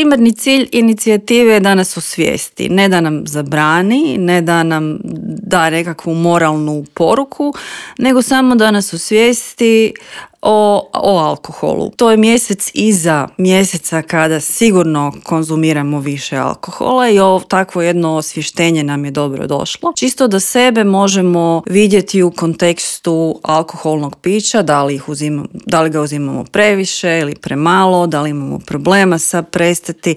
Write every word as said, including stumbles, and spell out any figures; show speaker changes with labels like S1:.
S1: primarni cilj inicijative je da nas osvijesti, ne da nam zabrani, ne da nam da nekakvu moralnu poruku, nego samo da nas osvijesti O, o alkoholu. To je mjesec iza mjeseca kada sigurno konzumiramo više alkohola i ovo takvo jedno osvještenje nam je dobro došlo. Čisto da sebe možemo vidjeti u kontekstu alkoholnog pića, da li, ih uzimamo, da li ga uzimamo previše ili premalo, da li imamo problema sa prestati,